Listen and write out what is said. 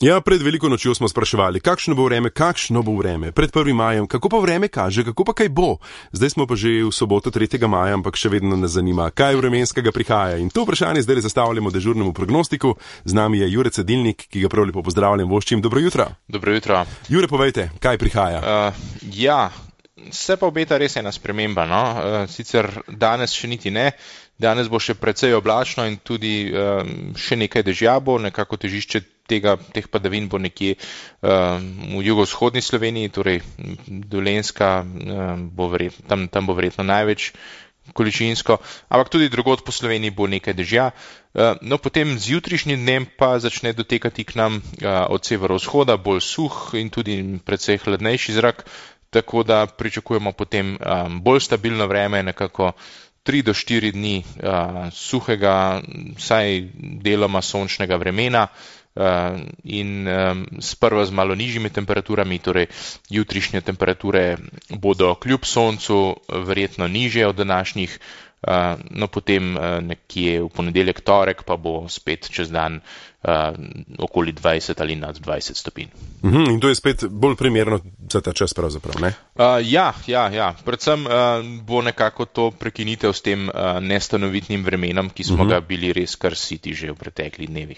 Ja, pred veliko nočjo smo spraševali, kakšno bo vreme, pred 1. majem, kako pa vreme kaže, kako pa kaj bo. Zdaj smo pa že v soboto 3. maja, ampak še vedno nas zanima, kaj vremenskega prihaja. In to vprašanje zdaj zastavljamo dežurnemu prognostiku. Z nami je Jure Cedilnik, ki ga prav lepo pozdravljam, voščim. Dobro jutro. Dobro jutro. Jure, povejte, kaj prihaja? Se pa obeta res ena sprememba, no? Sicer danes še niti ne. Danes bo še precej oblačno in tudi še nekaj dežja bo, nekako težišče teh padavin bo nekje v jugovzhodni Sloveniji, torej Dolenjska, tam bo verjetno največ količinsko, ampak tudi drugod po Sloveniji bo nekaj dežja. No, potem z jutrišnjim dnem pa začne dotekati k nam od severovzhoda bolj suh in tudi precej hladnejši zrak, tako da pričakujemo potem bolj stabilno vreme, nekako 3 do 4 dni suhega, vsaj deloma sončnega vremena in sprva z malo nižjimi temperaturami, torej jutrišnje temperature bodo kljub soncu verjetno nižje od današnjih, no potem nekje v ponedeljek, torek pa bo spet čez dan okoli 20 ali nad 20 stopinj. In to je spet bolj primerno za ta čas pravzaprav, ne? Ja. Predvsem bo nekako to prekinitev s tem nestanovitnim vremenom, ki smo ga bili res kar siti že v preteklih dnevih.